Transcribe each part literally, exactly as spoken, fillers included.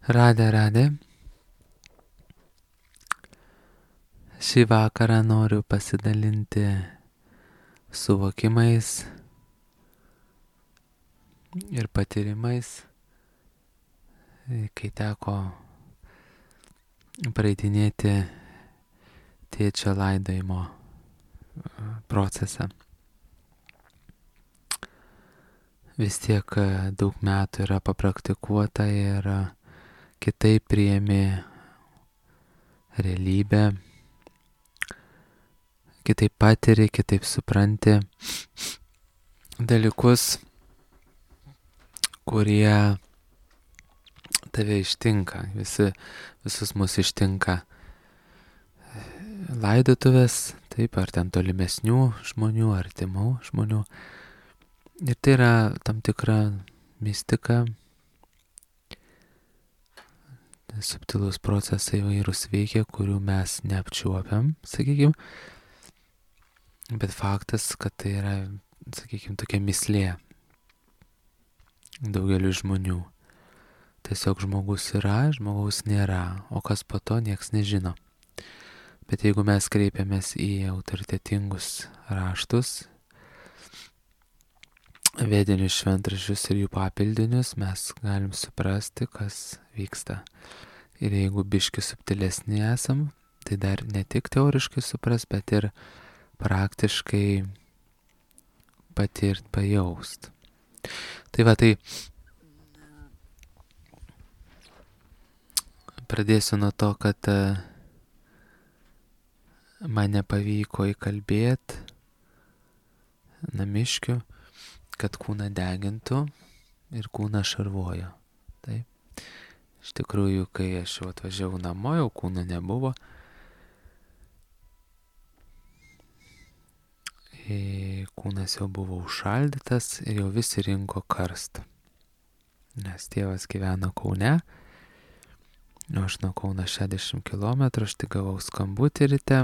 Radė, radė. Šį vakarą noriu pasidalinti suvokimais ir patyrimais, kai teko praeitinėti tėčio laidojimo procesą. Vis tiek daug metų yra papraktikuota ir kitaip priėmė realybę, kitaip patiri, kitaip supranti dalykus, kurie tave ištinka, visi, visus mus ištinka laidotuvės, taip, ar ten tolimesnių žmonių, artimų žmonių. Ir tai yra tam tikra mistika, subtilus procesai įvairūs veikia, kurių mes neapčiuopiam, sakykime. Bet faktas, kad tai yra, sakykime, tokia mislė daugeliu žmonių. Tiesiog žmogus yra, žmogaus nėra, o kas po to nieks nežino. Bet jeigu mes kreipiamės į autoritetingus raštus, vedinius šventraščius ir jų papildinius, mes galim suprasti, kas vyksta. Ir jeigu biški subtilesni esam, tai dar ne tik teoriškai supras, bet ir praktiškai patirt, pajaust. Tai va, tai pradėsiu nuo to, kad man nepavyko įkalbėti namiškių, kad kūną degintų ir kūną šarvojo. Taip. Iš tikrųjų, kai aš jau atvažiavau namo, jau kūno nebuvo. Ir kūnas jau buvo užšaldytas ir jau visi rinko karstą. Nes tėvas gyveno Kaune, o aš nuo Kauno šešiasdešimt kilometrų, aš tik gavau skambutį ryte,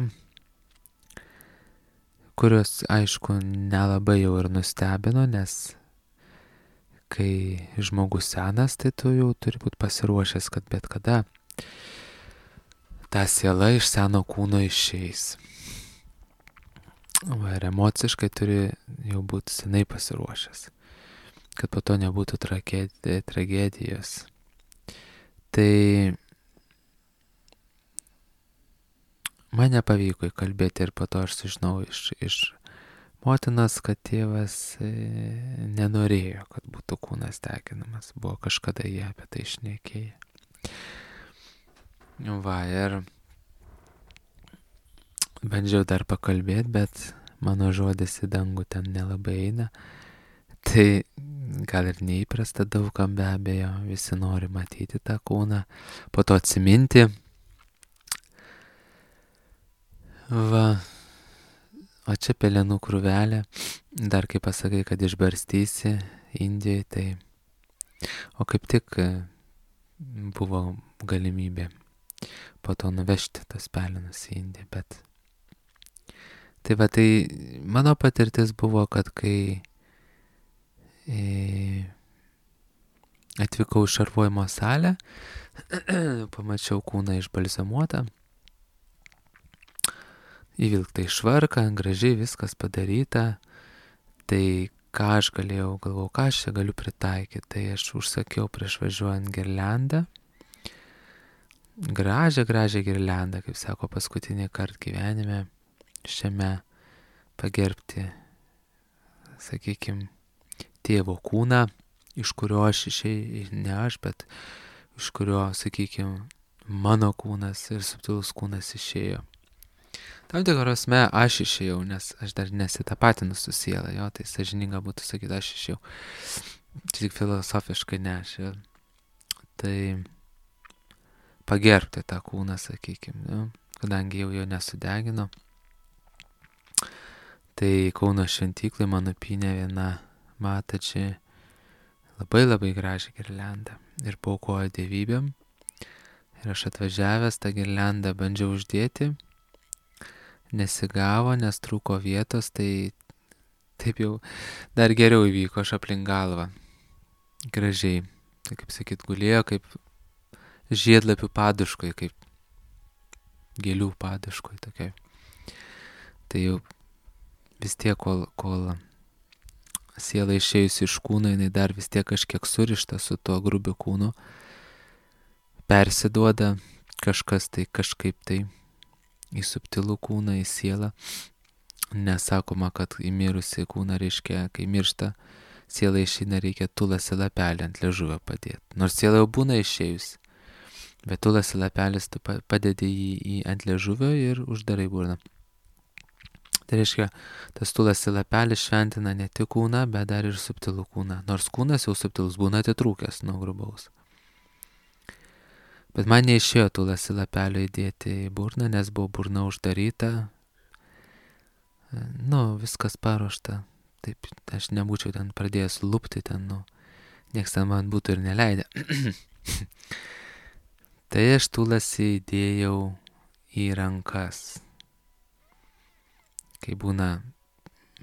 kurios, aišku, nelabai jau ir nustebino, nes kai žmogus senas, tai tu jau turi būti pasiruošęs, kad bet kada ta siela iš seno kūno išeis. Va, ir emociškai turi jau būti senai pasiruošęs, kad po to nebūtų tragedijos. Tai man nepavyko įkalbėti ir po to aš sužinau iš, iš motinos, kad tėvas e, nenorėjo, kad būtų kūnas deginamas. Buvo kažkada jie apie tai šnekėję. Va, ir bandžiau dar pakalbėti, bet mano žodis į dangų ten nelabai eina. Tai gal ir neįprasta daugam, be abejo, visi nori matyti tą kūną, po to atsiminti. Va. O čia pelenų krūvelė, dar kai pasakai, kad išbarstysi Indijoje, tai... O kaip tik buvo galimybė po to nuvežti tas pelenus į Indiją, bet... Tai va, tai mano patirtis buvo, kad kai e, atvykau į šarvojimo salę, pamačiau kūną išbalzamuotą, įvilkta į švarką, gražiai viskas padaryta. Tai ką aš galėjau, galvojau, ką aš čia galiu pritaikyti. Tai aš užsakiau prieš važiuojant girliandą. Gražią, gražią girliandą, kaip sako, paskutinį kartą gyvenime šiame pagerbti, sakykime, tėvo kūną, iš kurio aš išėjau, ne aš, bet iš kurio, sakykime, mano kūnas ir subtilus kūnas išėjo. Tam tikros me aš išėjau, nes aš dar nesitapatinu su siela, jo, tai sąžininga būtų sakyti, aš išėjau. Tik filosofiškai ne aš. Jo. Tai pagerbti tą kūną, sakykime, jo, kadangi jau jo nesudegino. Tai Kauno šventyklai mano pynė viena matačiai labai labai gražią girliandą ir paaukojo dievybėm. Ir aš atvažiavęs tą girliandą bandžiau uždėti. Nesigavo, nes trūko vietos, tai taip jau dar geriau įvyko, aš aplink galvą. Gražiai, tai kaip sakyt, gulėjo kaip žiedlapių paduškoj, kaip gėlių paduškoj tokiai. Tai jau vis tiek, kol, kol siela išėjusi iš kūno, jinai dar vis tiek kažkiek surišta su tuo grubiu kūnu, persiduoda kažkas tai kažkaip tai į subtilų kūną, į sielą. Nesakoma, kad į mirusį kūną reiškia, kai miršta, siela išeina, reikia tulasi lapelį ant liežuvio padėti. Nors siela jau būna išėjusi, bet tulasi lapelis tu padedi jį, jį ant liežuvio ir uždarai burną. Tai reiškia, tas tulasi lapelis šventina ne tik kūną, bet dar ir subtilų kūną. Nors kūnas jau subtilus būna atitrūkęs nuo grubaus. Bet man neišėjo tulasi lapelio įdėti į burną, nes buvo burna uždaryta. Nu, viskas paruošta. Taip, aš nebūčiau ten pradėjęs lupti ten, nu, nieks ten man būtų ir neleidę. Tai aš tulasi įdėjau į rankas. Kai būna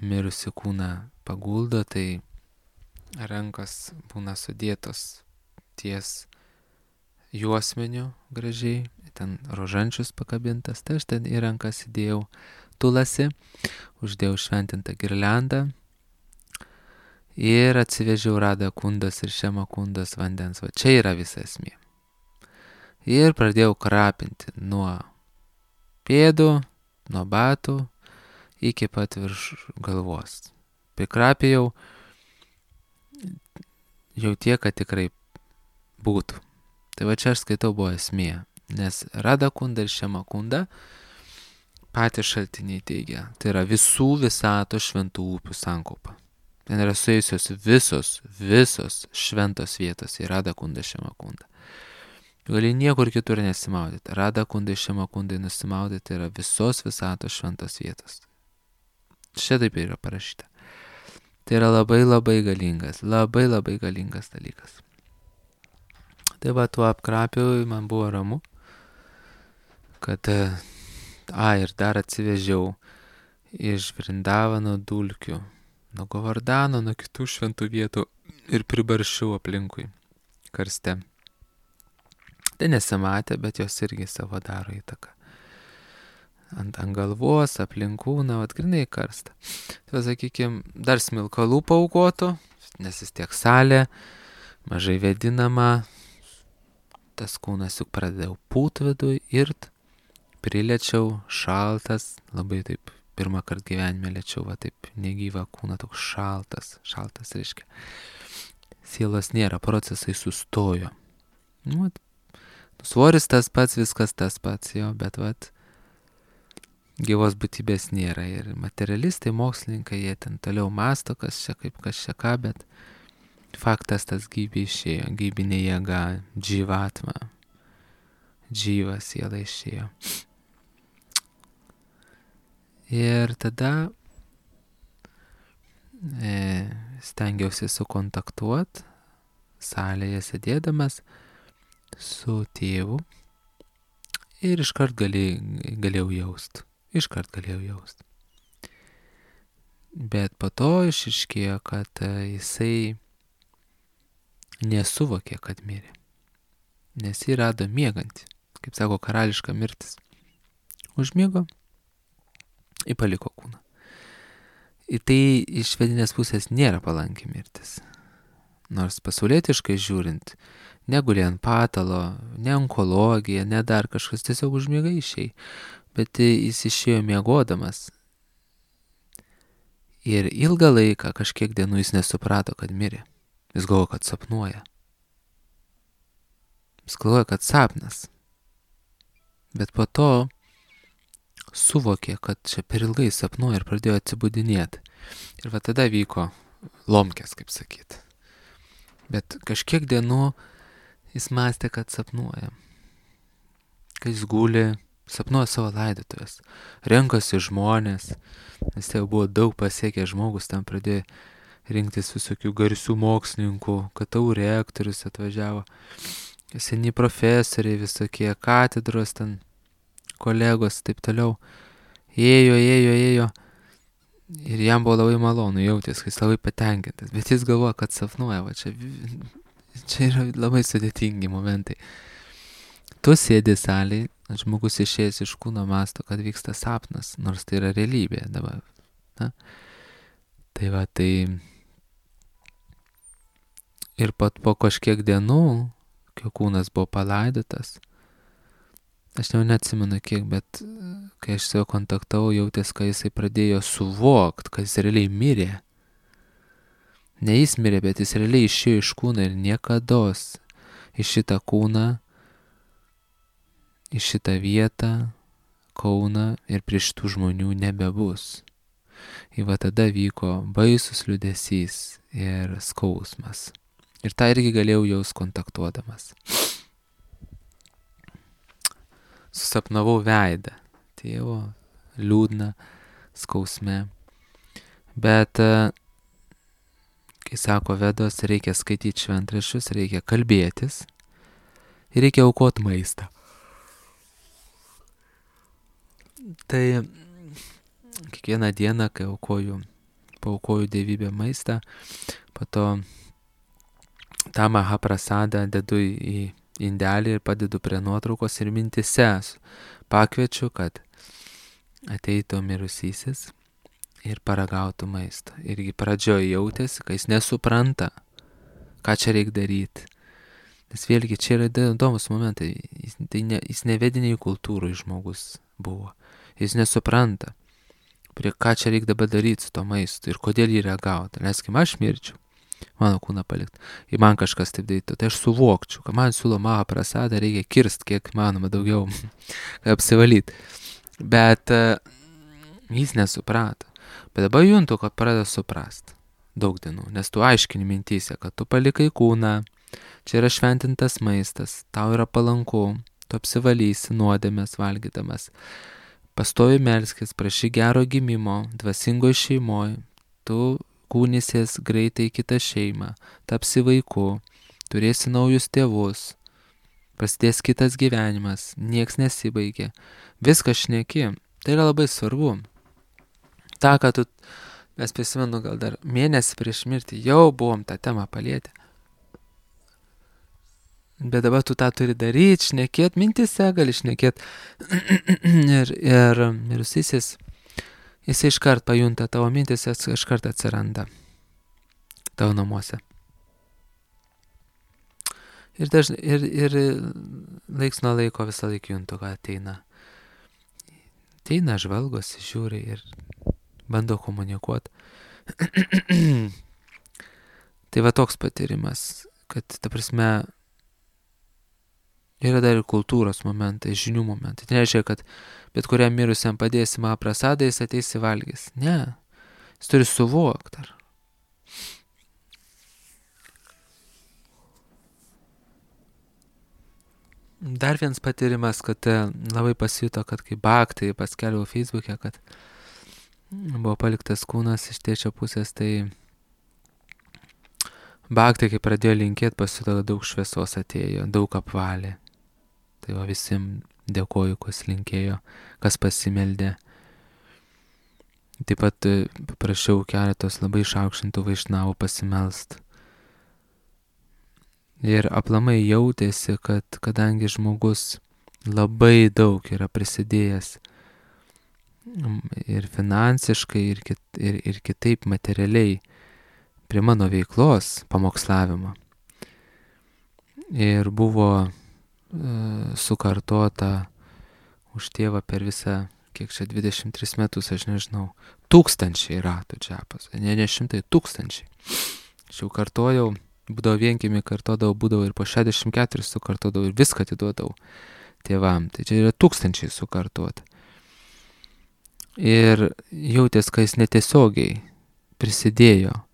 mirusi kūną paguldo, tai rankos būna sudėtos ties juosmeniu gražiai, ten rožančius pakabintas, tai aš ten į rankas įdėjau tulasi, uždėjau šventintą girliandą ir atsivežiau Radha Kundas ir Šema Kundas vandens. Va čia yra visa esmė. Ir pradėjau krapinti nuo pėdų, nuo batų, iki pat virš galvos. Prikrapėjau jau tiek, kad tikrai būtų. Tai va čia aš skaitau buvo esmė, nes Radha Kunda ir Šema Kunda patys šaltiniai teigia, tai yra visų visato šventų upių sankaupa. Ten yra suėjusios visos, visos šventos vietos į Radha Kunda, Šema Kunda. Gali niekur kitur nesimaudyti. Radha Kunda ir Šema Kunda nusimaudyti, tai yra visos visatos šventos vietos. Šitaip yra parašyta. Tai yra labai labai galingas, labai labai galingas dalykas. Tai va, tuo apkrapiau, man buvo ramu, kad, a, ir dar atsivežiau iš Vrindavano dulkių, nuo Govardhano, nuo kitų šventų vietų ir pribaršiau aplinkui karste. Tai nesimatė, bet jos irgi savo daro įtaką. Ant, ant galvos, aplinkūną, atgrinai karstą. Tai, sakykime, dar smilkalų paaukotų, nes vis tiek salė, mažai vėdinama, tas kūnas juk pradėjau pūt vidui ir priliečiau šaltas, labai taip, pirmą kartą gyvenime liečiau, va taip, negyvą kūną, toks šaltas, šaltas reiškia. Sielos nėra, procesai sustojo. Nu, svoris tas pats, viskas tas pats, jo, bet vat, gyvos būtybės nėra ir materialistai, mokslininkai, jie ten toliau masto, kas čia kaip, kas čia ką, bet faktas tas gyvybė išėjo, gyvybinė jėga, dživatma, džyva siela išėjo. Ir tada e, stengiausi sukontaktuoti salėje sėdėdamas su tėvu ir iškart galė, galėjau jaust. Iškart galėjau jaust. Bet po to išaiškėjo, kad jisai nesuvokė, kad mirė. Nes jį rado miegantį, kaip sako, karališka mirtis. Užmiego ir paliko kūną. Ir tai iš vedinės pusės nėra palanki mirtis. Nors pasaulietiškai žiūrint, negulė ant patalo, ne onkologija, ne dar kažkas, tiesiog užmiega išėjai. Bet jis išėjo miegodamas. Ir ilgą laiką, kažkiek dienų jis nesuprato, kad mirė. Jis galvojo, kad sapnuoja. Jis galvoja, kad sapnas. Bet po to suvokė, kad čia per ilgai sapnuoja ir pradėjo atsibudinėti. Ir va tada vyko lomkės, kaip sakyt. Bet kažkiek dienų jis mąstė, kad sapnuoja. Kai jis guli, sapnuoja savo laidotuvės. Renkasi žmonės, nes tai jau buvo daug pasiekę žmogus, tam pradėjo rinktis visokių garsių mokslininkų, K T U rektorius atvažiavo, seni profesoriai, visokie katedros ten, kolegos, taip toliau. Ėjo, ėjo, ėjo. Ir jam buvo labai malonu, jautės, kai jis labai patenkintas. Bet jis galvoja, kad sapnuoja, va čia, čia yra labai sudėtingi momentai. tu sėdi salėje, žmogus išėjęs iš kūno masto, kad vyksta sapnas, nors tai yra realybė dabar. Na? Tai va, tai ir pat po kažkiek dienų, kai kūnas buvo palaidotas, aš jau neatsimenu kiek, bet kai aš su juo kontaktavau, jautės, kai jisai pradėjo suvokt, kad jis realiai mirė. Ne jis mirė, bet jis realiai išėjo iš kūno ir niekados į šitą kūną, į šitą vietą, Kauną ir prie šitų žmonių nebebus. Ir va tada vyko baisus liūdesys ir skausmas. Ir tą irgi galėjau jaus kontaktuodamas. Susapnavau veidą, tėvo, liūdną, skausme. Bet, kai sako Vedos, reikia skaityti šventraščius, reikia kalbėtis ir reikia aukoti maistą. Tai kiekvieną dieną, kai aukoju, paaukoju dievybę maistą, po to tą mahaprasadą dedu į indelį ir padedu prie nuotraukos ir mintise pakviečiu, kad ateitų mirusysis ir paragautų maisto. Irgi pradžioje jautėsi, kai jis nesupranta, ką čia reikia daryti. Nes vėlgi čia yra įdomus momentai, jis, tai ne, jis nevediniai kultūrai žmogus buvo. Jis nesupranta, prie ką čia reikia dabar daryti su to maistu ir kodėl jį reagauti. Leiskim, aš mirčiau, mano kūną palikti, ir man kažkas taip darytų, tai aš suvokčiau, kad man siūlo mahaprasadą, reikia kirst kiek manoma daugiau, apsivalyti. Bet uh, jis nesuprato. Bet dabar juntu, kad pradeda suprast daug dienų, nes tu aiškini mintyse, kad tu palikai kūną, čia yra šventintas maistas, tau yra palanku, tu apsivalysi nuodėmės valgydamas, pastovi melskis, prašy gero gimimo, dvasingoj šeimoj, tu kūnysies greitai į kitą šeimą, tapsi vaiku, turėsi naujus tėvus, prasidės kitas gyvenimas, nieks nesibaigia, viskas šneki, tai yra labai svarbu. Ta, kad tu, mes prisimenu gal dar mėnesį prieš mirtį, jau buvom tą temą palietę. Bet dabar tu tą turi daryti, šnekėt, mintise gali šnekėt. ir ir mirusysis, jis iškart pajunta tavo mintis, jis iškart atsiranda tavo namuose. Ir, dažnai, ir, ir laiks nuo laiko visą laiką juntu, kad ateina. Ateina, žvalgosi, žiūri ir bando komunikuoti. Tai va toks patyrimas, kad, ta prasme, yra dar ir kultūros momentai, žinių momentai. Tai nereiškia, kad bet kuriam mirusiam padėsi mahaprasadą, jis ateis į valgys. Ne. Jis turi suvokti. Ar. Dar vienas patyrimas, kad labai pasijuto, kad kai Bhaktai paskelbiau Facebook'e, kad buvo paliktas kūnas iš tėčio pusės, tai Bhaktai, kai pradėjo linkėti, pasijuto, kad daug šviesos atėjo, daug apvalė. Tai va visiems dėkoju, kas linkėjo, kas pasimeldė. Taip pat paprašiau keletos labai išaukštintų vaišnavų pasimelst. Ir aplamai jautėsi, kad kadangi žmogus labai daug yra prisidėjęs ir finansiškai, ir, kit, ir, ir kitaip materialiai prie mano veiklos pamokslavimo. Ir buvo sukartota už tėvą per visą, kiek čia dvidešimt tris metus, aš nežinau, tūkstančiai ratų džapas, ne, ne šimtai, tūkstančiai. Aš jau kartojau, būdavo vienkimi kartodavau, būdavo ir po šešiasdešimt keturis sukartodavau ir viską atiduodavau tėvam. Tai čia yra tūkstančiai sukartota. Ir jautės, kad jis netiesiogiai prisidėjo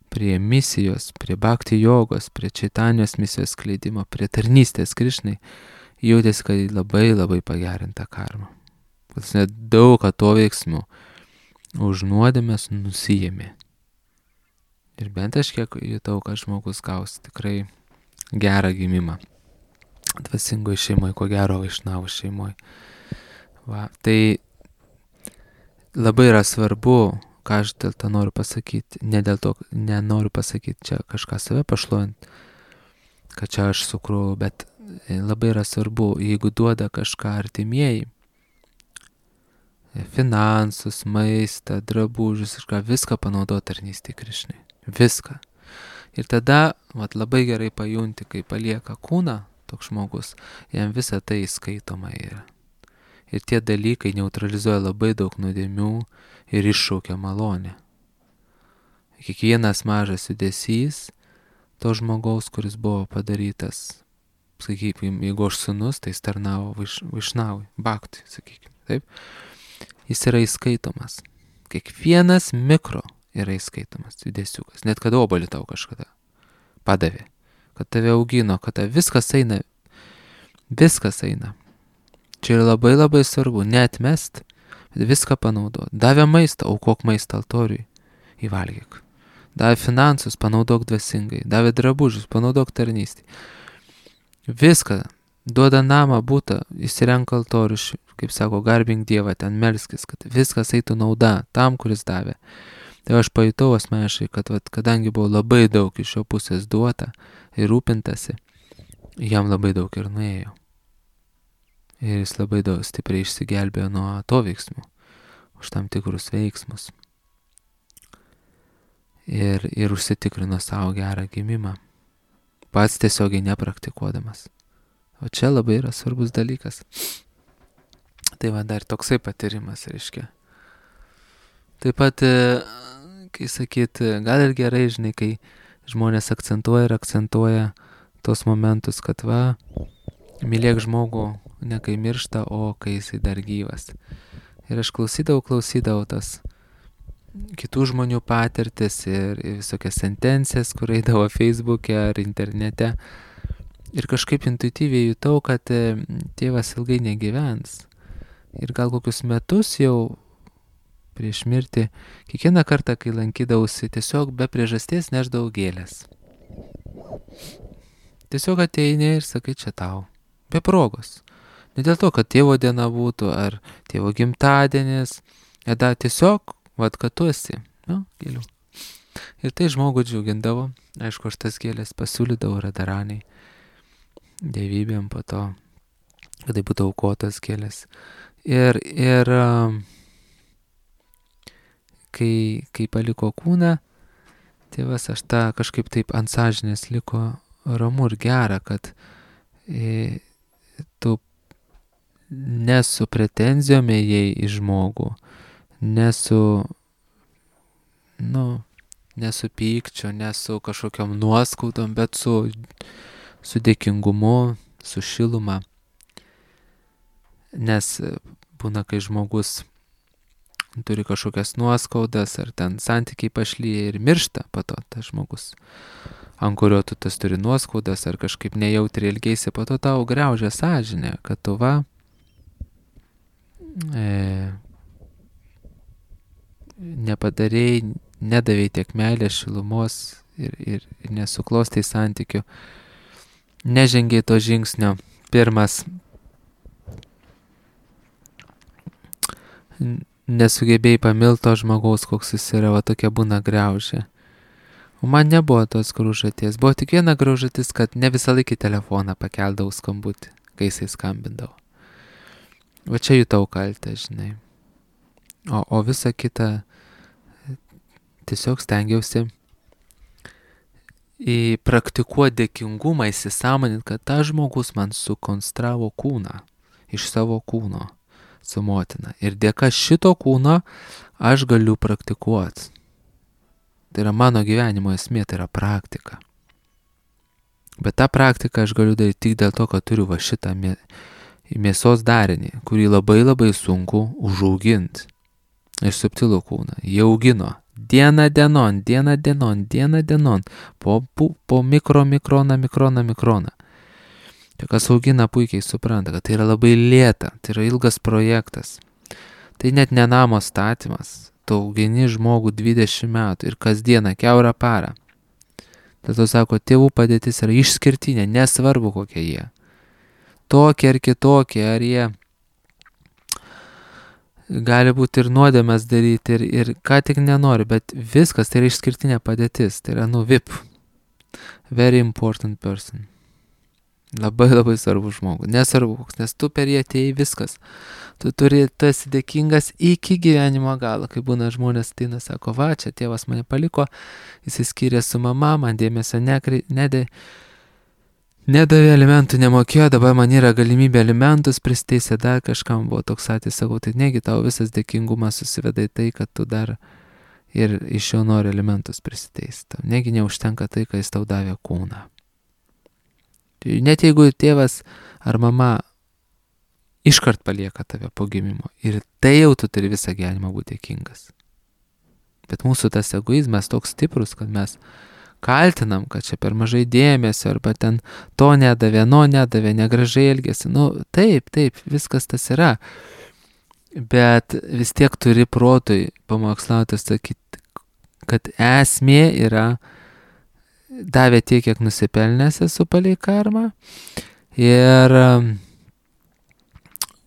prie misijos, prie bhakti jogos, prie čaitanijos misijos skleidimo, prie tarnystės Krišnai, jautėsi, kad labai labai pagerinta karma. Kad net daug atoveiksmų už nuodėmės nusijėmė. Ir bent aš kiek jutau, kad žmogus gaus tikrai gerą gimimą. Dvasingoj šeimoje, ko gero vaišnavų šeimoje. Va, tai labai yra svarbu, ką aš dėl to noriu pasakyti, ne dėl to, nenoriu pasakyti čia kažką save pašluojant, kad čia aš sukruoju, bet labai yra svarbu, jeigu duoda kažką artimieji, finansus, maistą, drabužius, kažką, viską panaudoti tarnystei Krišnai. Viską. Ir tada vat, labai gerai pajunti, kai palieka kūną toks žmogus, jam visą tai skaitoma yra. Ir tie dalykai neutralizuoja labai daug nuodėmių ir iššaukia malonę. Kiekvienas mažas judesys to žmogaus, kuris buvo padarytas, sakykime, jeigu aš sūnus, tai jis tarnavo vaiš, vaišnavui, baktui, sakykime, taip, jis yra įskaitomas. Kiekvienas mikro yra įskaitomas judesiukas, net kad obuolį tau kažkada padavė, kad tave augino, kad tave viskas eina, viskas eina. Čia yra labai labai svarbu, neatmest, bet viską panaudoti. Davė maistą, aukok maistą altoriui, įvalgyk. Davė finansus, panaudok dvasingai. Davė drabužius, panaudok tarnystį. Viską, duoda namą, būtą, įsirenk altorius, kaip sako, garbink Dievą, ten melskis, kad viskas eitų nauda tam, kuris davė. Tai aš pajutau asmeniškai, kad vat, kadangi buvo labai daug iš jo pusės duota ir rūpintasi, jam labai daug ir nuėjo. Ir jis labai daug stipriai išsigelbėjo nuo to veiksmų, už tam tikrus veiksmus. Ir, ir užsitikrino savo gerą gimimą, pats tiesiogiai nepraktikuodamas. O čia labai yra svarbus dalykas. Tai va dar toksai patyrimas, reiškia. Taip pat, kai sakyt, gal ir gerai, žinai, kai žmonės akcentuoja ir akcentuoja tos momentus, kad va, mylėk žmogų ne kai miršta, o kai jisai dar gyvas. Ir aš klausydavau, klausydavau tas kitų žmonių patirtis ir, ir visokias sentencijas, kur eidavo Facebook'e ar internete. Ir kažkaip intuityviai jutau, kad tėvas ilgai negyvens. Ir gal kokius metus jau prieš mirtį, kiekvieną kartą, kai lankydavausi, tiesiog be priežasties nešdavau gėlės. Tiesiog ateini ir sakai, čia tau. Be progos. Ne dėl to, kad tėvo diena būtų, ar tėvo gimtadienis, tada tiesiog, vat, kad tu esi, nu, gėlių. Ir tai žmogų džiugindavo, aišku, aš tas gėlės pasiūlydavau radaraniai, dievybėm po to, kad tai būtų aukotas gėlės. Ir, ir kai, kai paliko kūną, tėvas aš tą kažkaip taip ant sąžinės liko ramu ir gera, kad e, tu ne su pretenzijom ėjai į žmogų, ne su, nu, ne su pykčiu, ne su kažkokiom nuoskaudom, bet su, su dėkingumu, su šiluma. Nes būna, kai žmogus turi kažkokias nuoskaudas, ar ten santykiai pašlyja ir miršta po to tas žmogus, ant kurio tu tas turi nuoskaudas, ar kažkaip nejautriai ilgeisi, po to tau griaužia sąžinė, kad tu va, e, nepadarėjai, nedavėjai tiek meilės, šilumos ir, ir, ir nesuklostai santykių, nežengiai to žingsnio. Pirmas, nesugebėjai pamilto žmogaus, koks jis yra, va tokia būna griaužė. O man nebuvo tos graužaties, buvo tik viena graužatis, kad ne visą laikį telefoną pakeldavau skambutį, kai jisai skambindavo. Va čia jutau kaltę, žinai. O, o visa kita tiesiog stengiausi į praktikuoti dėkingumą, įsisąmonint, kad tas žmogus man sukonstravo kūną iš savo kūno su motina. Ir dėka šito kūno aš galiu praktikuoti. Tai yra mano gyvenimo esmė, tai yra praktika. Bet tą praktiką aš galiu daryti tik dėl to, kad turiu va šitą mė, mėsos darinį, kurį labai labai sunku užauginti. Ir subtilų kūną. Jie augino dieną dienon, dieną dienon, dieną dienon, po, po, po mikro, mikroną, mikroną, mikroną. Tai kas augina puikiai supranta, kad tai yra labai lėta, tai yra ilgas projektas. Tai net ne namo statymas. Tu augini žmogų dvidešimt metų ir kasdieną, kiaurą parą. Tad tu sako, tėvų padėtis yra išskirtinė, nesvarbu kokie jie. Tokie ar kitokie, ar jie gali būti ir nuodėmes daryti, ir, ir ką tik nenori, bet viskas tai yra išskirtinė padėtis, tai yra nu V I P. Very important person. Labai labai svarbu žmogų. Nesvarbu, nes tu per jį atėjai viskas. Tu turi, tu esi dėkingas iki gyvenimo galo. Kai būna žmonės ateina, sako, va, čia tėvas mane paliko, jis įskyrė su mama, man dėmesio nekri, nedė, nedavė alimentų, nemokėjo, dabar man yra galimybė alimentus pristeisė, dar kažkam buvo toks atvejis, sakau, tai negi tau visas dėkingumas susiveda į tai, kad tu dar ir iš jo nori alimentus prisiteisti. Negi neužtenka tai, kai jis tau davė kūną. Net jeigu tėvas ar mama iškart palieka tave po gimimo ir tai jau tu turi visą gyvenimą būti dėkingas. Bet mūsų tas egoizmas toks stiprus, kad mes kaltinam, kad čia per mažai dėmesio arba ten to nedavė, no nedavė, negražiai elgėsi. Nu taip, taip, viskas tas yra. Bet vis tiek turi protui pamokslauti sakyti, kad esmė yra davė tiek, kiek nusipelnęs esu palei karmą ir um,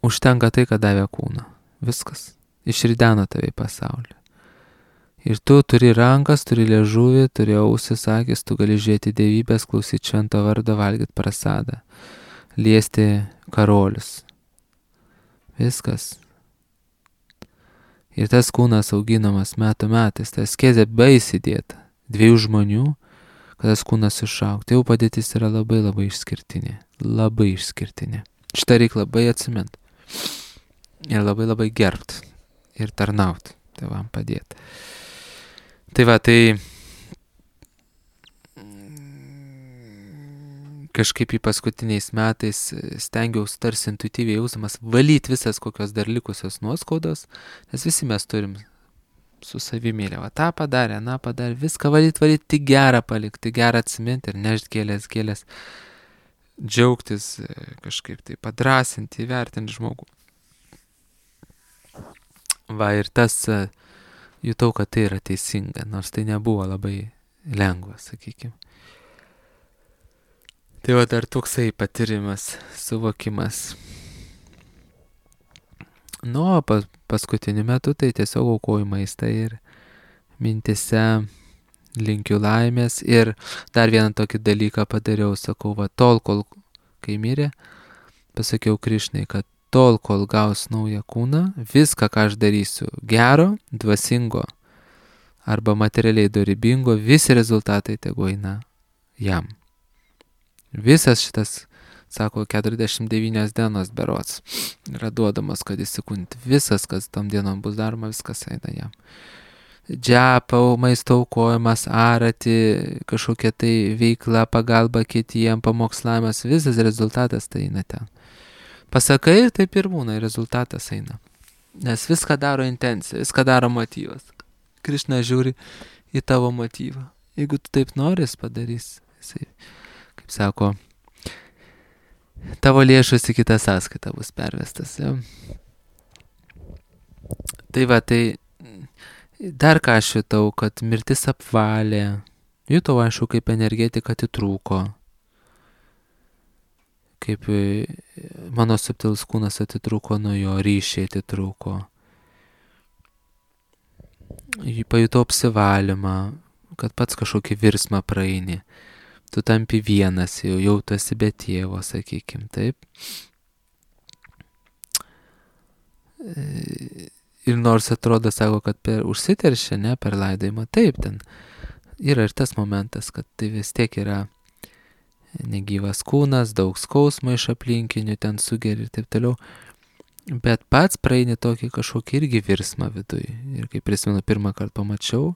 užtenka tai, kad davė kūną. Viskas. Išrideno tave į pasaulį. Ir tu turi rankas, turi liežuvį, turi ausis, akis, tu gali žiūrėti dievybės, klausyti švento vardo, valgyti prasadą, liesti karolius. Viskas. Ir tas kūnas auginamas metų metais, tas askezė baisiai dėta. Dviejų žmonių, kad tas kūnas išaugtų. Tai jau padėtis yra labai labai išskirtinė. Labai išskirtinė. Šitą reikia labai atsimint. Ir labai labai gerbt. Ir tarnaut. Tėvam padėti. Tai va, tai kažkaip į paskutiniais metais stengiausi tarsi intuityviai jausdamas valyti visas kokios dar likusios nuoskaudos, nes visi mes turim su savimėlė, va tą padarė, na padarė, viską valyti, valyti, tik gerą palikti, tik gerą atsiminti ir nešti gėlės, gėlės, džiaugtis, kažkaip tai padrasinti, įvertinti žmogų. Va ir tas, jutau, kad tai yra teisinga, nors tai nebuvo labai lengva, sakykime. Tai va dar toksai patyrimas, suvokimas. Nu, o pas, paskutiniu metu tai tiesiog aukoju maistą ir mintise linkiu laimės. Ir dar vieną tokį dalyką padariau, sakau, va tol, kol kai mirė, pasakiau Krišnai, kad tol, kol gaus naują kūną, viską, ką aš darysiu gero, dvasingo arba materialiai dorybingo, visi rezultatai tegu eina jam. Visas šitas, sako, keturiasdešimt devynios dienos berods yra duodamas, kad įsikūnyti. Visas, kas tam dienom bus daroma, viskas eina jam. Džiapau, maisto aukojimas, arati, kažkokia tai veikla, pagalba kitiem, pamokslavimas, visas rezultatas tai eina ten. Pasakai ir taip ir būna, rezultatas eina. Nes viską daro intencija, viską daro motyvas. Krišna žiūri į tavo motyvą. Jeigu tu taip noris, padarys. Jisai, kaip sako, tavo lėšus į kitą sąskaitą bus pervestas. Ja? Tai va, tai dar ką aš jutau, kad mirtis apvalė. Jutau, aišku, kaip energetika atitrūko. Kaip mano subtilus kūnas atitrūko nuo jo, ryšiai atitrūko. Pajutau apsivalymą, kad pats kažkokį virsmą praeini. Tu tampi vienas, jau, jau tu esi be tėvo, sakykim, taip. Ir nors atrodo, sako, kad per užsiteršia, ne, per laidojimą, taip, ten yra ir tas momentas, kad tai vis tiek yra negyvas kūnas, daug skausmo iš aplinkinių, ten sugeri ir taip toliau. Bet pats praeini tokį kažkokį irgi virsmą viduj. Ir kai prisimenu, pirmą kartą pamačiau,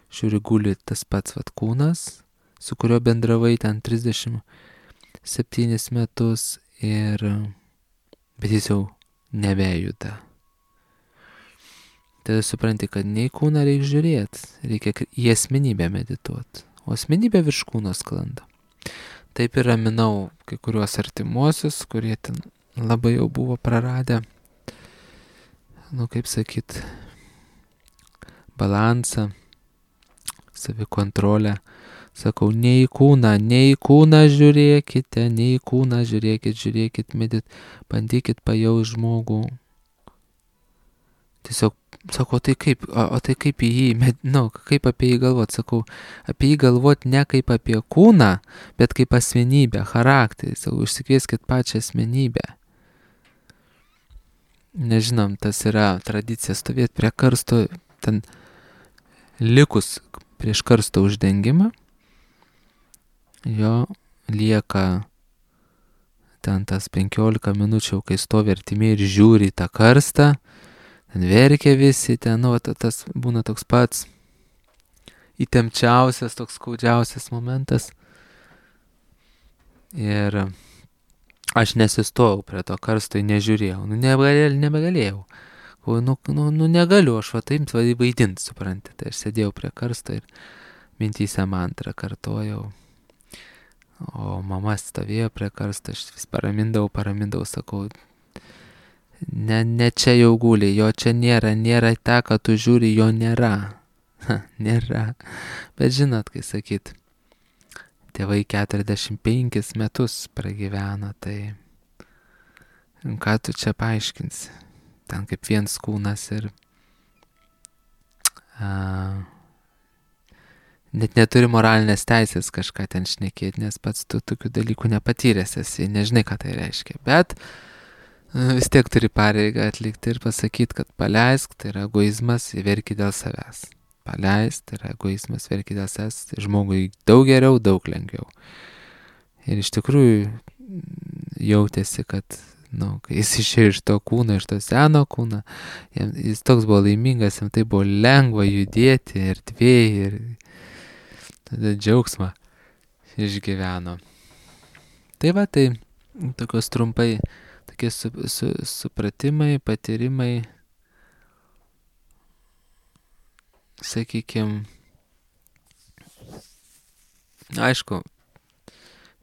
žiūri, guli tas pats vat kūnas, su kurio bendravai ten trisdešimt septynis metus ir bet jis jau nebejuda. Tada supranti, kad nei kūną reikia žiūrėti, reikia į asmenybę medituoti, o asmenybė virš kūno sklanda. Taip ir raminau kai kuriuos artimuosius, kurie ten labai jau buvo praradę, nu kaip sakyt, balansą, savikontrolę. Sakau, ne į kūną, ne į kūną žiūrėkite, ne į kūną žiūrėkit, žiūrėkit, medit, bandykit pajausti žmogų. tiesiog sako, tai kaip, o, o tai kaip į jį, med, nu, kaip apie jį galvot, sakau, apie jį galvot ne kaip apie kūną, bet kaip asmenybę, charakterį, sakau, išsikvieskit pačią asmenybę. Nežinom, tas yra tradicija stovėti prie karsto, ten likus prieš karsto uždengimą, jo lieka ten tas penkiolika minučių, kai stovi artimiai ir žiūri į tą karstą, ten verkia visi, ten, nu, tas būna toks pats įtempčiausias, toks skaudžiausias momentas. Ir aš nesistojau prie to karsto, nežiūrėjau, nu, nebegalėjau, nebegalėjau. Nu, nu, nu, negaliu, aš va taip vaidinti, supranti. Tai aš sėdėjau prie karsto ir mintyse mantrą kartojau. O mama stovėjo prie karsto, aš vis paramindavau, paramindavau, sakau, ne, ne čia jau guli, jo čia nėra, nėra ta, kad tu žiūri, jo nėra. Ha, nėra. Bet žinot, kai sakyt, tėvai keturiasdešimt penkis metus pragyveno, tai ką tu čia paaiškinsi? Ten kaip viens kūnas ir a, net neturi moralinės teisės kažką ten šnekėti, nes pats tu tokių dalykų nepatyręs esi, nežinai, ką tai reiškia. Bet vis tiek turi pareigą atlikti ir pasakyti, kad paleisk, tai yra egoizmas, verki dėl savęs. Paleisk, tai yra egoizmas, verki dėl savęs, tai žmogui daug geriau, daug lengviau. Ir iš tikrųjų jautėsi, kad nu, kai jis išėjo iš to kūno, iš to seno kūno, jam, jis toks buvo laimingas, jam tai buvo lengva judėti erdvėje ir tada džiaugsmą išgyveno. Tai va, tai tokios trumpai, tokie su, su, supratimai, patyrimai, sakykime, aišku,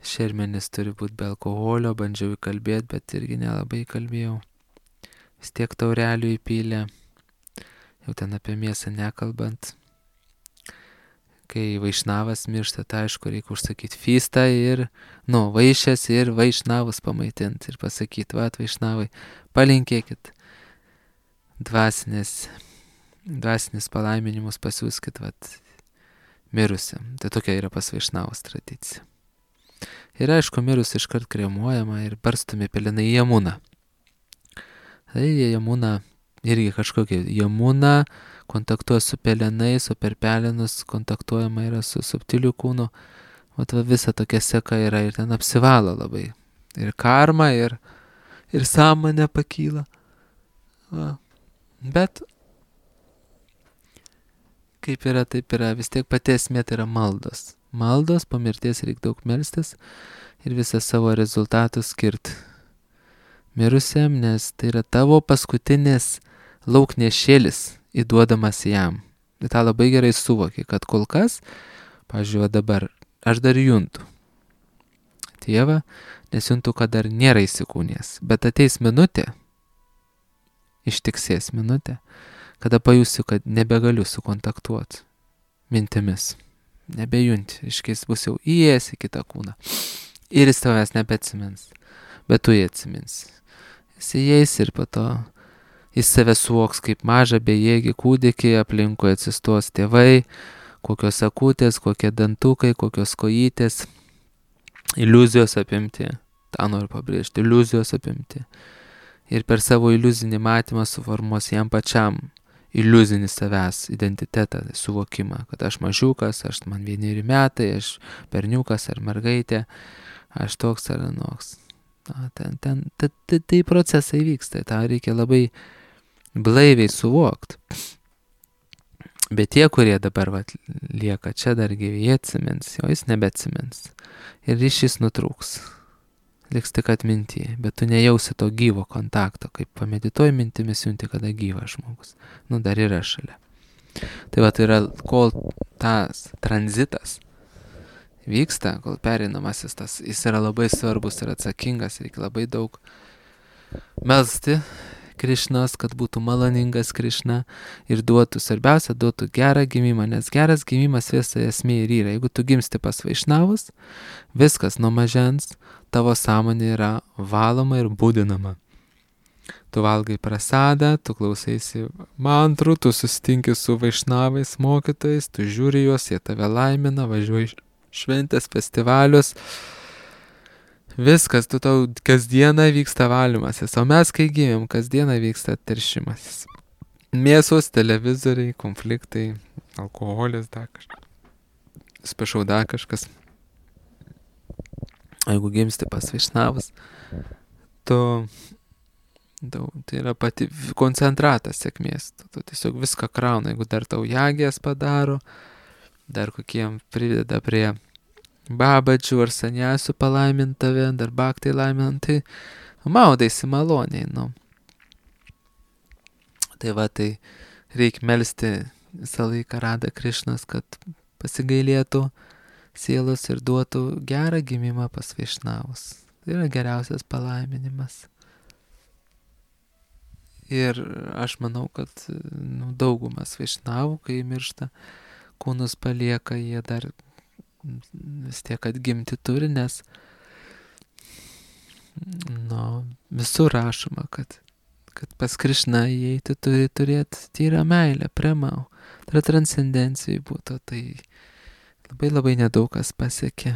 šermenis turi būti be alkoholio, bandžiau įkalbėti, bet irgi nelabai kalbėjau. Vis tiek taurelių įpylė, jau ten apie mėsą nekalbant. Kai vaišnavas miršta, tai aišku, reikia užsakyti fystą ir, nu, vaišės ir vaišnavus pamaitinti ir pasakyti, va, vaišnavai, palinkėkit dvasinės, dvasinės palaiminimus pasiūskit, va, mirusiam. Tai tokia yra pas vaišnavus tradicija. Ir aišku, mirus iškart kremuojama ir barstomi pelenai į Jamuną. Tai Jamuna irgi kažkokia, Jamuna kontaktuoja su pelenais, o per pelenus kontaktuojama yra su subtiliu kūnu. O va visa tokia seka yra ir ten apsivalo labai. Ir karma, ir, ir sąmonė pakyla. Va. Bet kaip yra, taip yra, vis tiek pati esmė tai yra maldos. Maldos, po mirties reikia daug melstis ir visą savo rezultatus skirti mirusiam, nes tai yra tavo paskutinis lauknešėlis įduodamas jam. Ir tą labai gerai suvoki, kad kol kas, pavyzdžiui, dabar aš dar juntu Tėvą, nes juntu, kad dar nėra įsikūnės, bet ateis minutė, ištiksės minutė, kada pajusiu, kad nebegaliu sukontaktuoti mintimis. Nebejunti, iškės bus jau įėjęs į kitą kūną. Ir jis tavęs nebeatsimins, bet tu jį atsimins. Jis įeis ir po to jis save suvoks kaip mažą bejėgį kūdikį, aplinkui atsistos tėvai, kokios akutės, kokie dantukai, kokios kojytės, iliuzijos apimti. tą noriu pabrėžti, iliuzijos apimti. Ir per savo iliuzinį matymą suformuos jam pačiam iliuzinį savęs identitetą, suvokimą, kad aš mažiukas, aš man vieneri metai, aš berniukas ar mergaitė, aš toks ar anoks. Na, ten, ten, tai, tai, tai procesai vyksta, tą reikia labai blaiviai suvokti. Bet tie, kurie dabar vat, lieka čia dar gyvi, jie atsimins, o jis nebeatsimins. Ir ryšys nutrūks. Liks tik atminti, bet tu nejausi to gyvo kontakto, kaip pamedituoji mintimis junti, kada gyvas žmogus. Nu, dar yra šalia. Tai va, tai yra, kol tas tranzitas vyksta, kol pereinamasis tas, jis yra labai svarbus ir atsakingas, reikia labai daug melsti Krišnos, kad būtų maloningas Krišna ir duotų, svarbiausia, duotų gerą gimimą, nes geras gimimas visa esmė ir yra. Jeigu tu gimsti pas vaišnavus, viskas nuo mažens, tavo sąmonė yra valoma ir būdinama. Tu valgai prasadą, tu klausaisi mantrų, tu susitinki su vaišnavais mokytojais, tu žiūri juos, jie tave laimina, važiuoji šventės, festivalius. Viskas, tu tau kasdieną vyksta valymasis, o mes kai gimėm, kasdieną vyksta teršimasis. Mėsos, televizoriai, konfliktai, alkoholis, dar kažkas. Spašau, dar kažkas. Jeigu gimsti pas vaišnavus, tu, tu, tai yra pati koncentratas sėkmės. Tu, tu tiesiog viską krauna, jeigu dar tau jagės padaro, dar kokiem prideda prie babadžių ar saniasių palaimint tave, dar baktai laimint, tai maudaisi maloniai, nu. Tai va, tai reikia melsti visą laiką Rada Krišnas, kad pasigailėtų sielos ir duotų gerą gimimą pas vaišnavus. Tai yra geriausias palaiminimas. Ir aš manau, kad nu, daugumas vaišnavų, kai miršta, kūnus palieka, jie dar vis tiek atgimti turi, nes nu, visur rašoma, kad, kad pas Krišną įeiti turi turėti tyrą meilę, premau. Tai transcendencijai būtų, tai labai labai nedaug kas pasiekė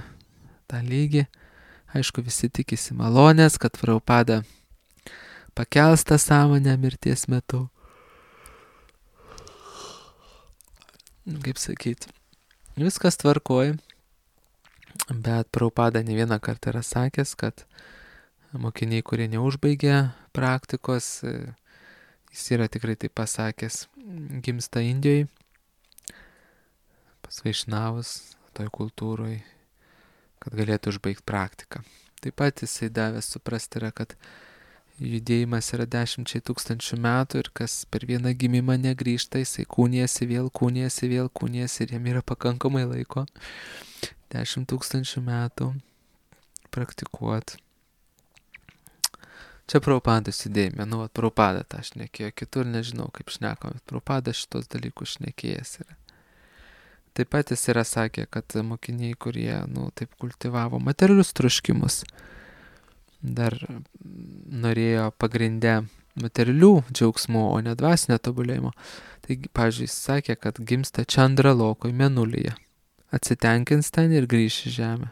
tą lygį. Aišku, visi tikisi malonės, kad Prabhupada pakels tą sąmonę mirties metu. Kaip sakyti, viskas tvarkoj, bet Prabhupada ne vieną kartą yra sakęs, kad mokiniai, kurie neužbaigia praktikos, jis yra tikrai taip pasakęs, gimsta Indijoj, pas vaišnavus, toj kultūroj, kad galėtų užbaigti praktiką. Taip pat jisai davęs suprasti yra, kad judėjimas yra dešimčiai tūkstančių metų ir kas per vieną gimimą negrįžta, jisai kūnijasi vėl, kūnijasi vėl, kūnijasi ir jam yra pakankamai laiko dešimt tūkstančių metų praktikuoti. Čia Prabhupados idėjime, nu, vat Prabhupada tą šnekėjo, kitur nežinau kaip šnekam, bet Prabhupada šitos dalykus šnekėjęs yra. Taip pat jis yra sakę, kad mokiniai, kurie, nu, taip kultivavo materialius troškimus, dar norėjo pagrindę materialių džiaugsmų, o ne dvasinio tobulėjimo. Taigi, pavyzdžiui, jis sakė, kad gimsta Čandralokoj mėnulyje, atsitenkins ten ir grįš į žemę.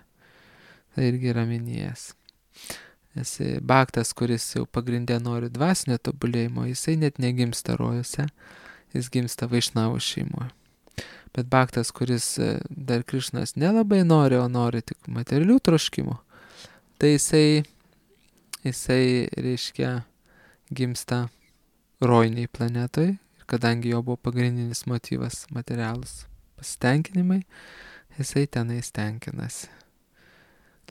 Tai irgi yra minėjęs. Nes baktas, kuris jau pagrindė nori dvasinio tobulėjimo, jisai net negimsta rojose, jis gimsta vaišnavų šeimoje. Bet baktas, kuris dar Krišnas nelabai nori, o nori tik materialių troškimų, tai jisai, jisai reiškia, gimsta rojiniai planetoj, ir kadangi jo buvo pagrindinis motyvas materialus pasitenkinimai, jisai tenai stenkinasi.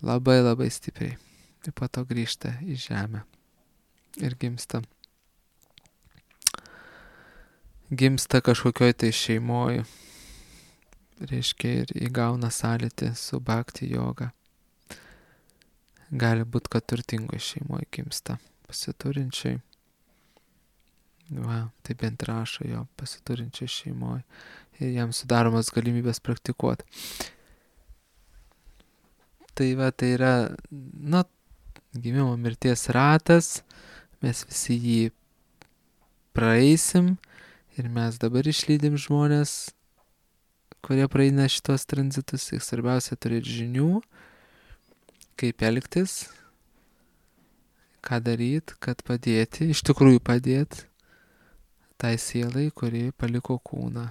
Labai labai stipriai. Ir po to grįžta į žemę ir gimsta. Gimsta kažkokioj tai šeimoj, reiškia, ir įgauna sąlytį su bhakti joga. Gali būti, kad turtingoj šeimoj gimsta, pasiturinčiai. Va, tai bent rašo jo, pasiturinčiai šeimoj. Ir jam sudaromas galimybės praktikuoti. Tai va, tai yra, na, gimimo mirties ratas, mes visi jį praeisim ir mes dabar išlydim žmonės, kurie praeina šitos tranzitus. Ir svarbiausia turėti žinių, kaip elgtis, ką daryti, kad padėti, iš tikrųjų padėti tai sielai, kuri paliko kūną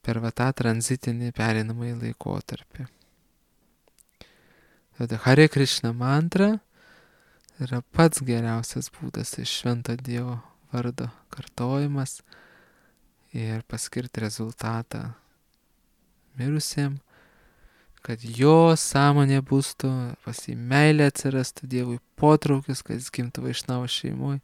per va tą tranzitinį pereinamąjį laikotarpį. Tada Hare Krishna mantra yra pats geriausias būdas iš švento Dievo vardo kartojimas ir paskirti rezultatą mirusiem, kad jo sąmonė būstų, pas jį meilė atsirastų Dievui, potraukis, kad jis gimtų vaišnavo šeimoj.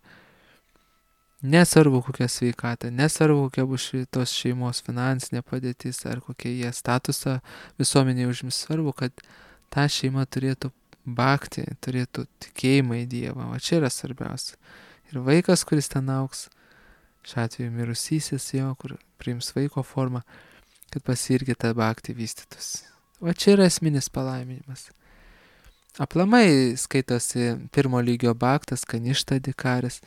Nesvarbu kokia sveikata, nesvarbu kokia bus tos šeimos finansinė padėtis ar kokie jie statusą visuomenėje užims, svarbu, kad ta šeima turėtų bhakti, turėtų tikėjimą į Dievą. O čia yra svarbiausia. Ir vaikas, kuris ten auks, šiuo atveju mirusysis jo, kur priims vaiko formą, kad pas jį irgi ta bhakti vystytųsi. O čia yra esminis palaiminimas. Aplamai skaitosi pirmo lygio bhaktas, Kaništa Adhikaris.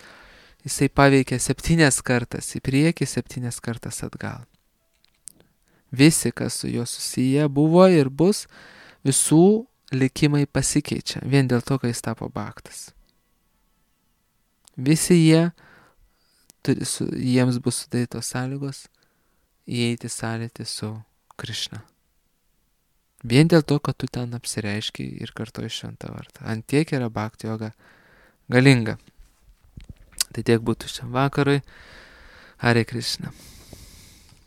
Jisai paveikia septynias kartas į priekį, septynias kartas atgal. Visi, kas su juo susiję buvo ir bus, visų likimai pasikeičia vien dėl to, kai jis tapo bhaktas. Visi jie, turi, su, jiems bus sudarytos sąlygos įeiti sąlytį su Krišna. Vien dėl to, kad tu ten apsireiškiai ir kartoji šventą vardą. Ant tiek yra bhakti joga galinga. Tai tiek būtų šiam vakarui. Hare Krishna.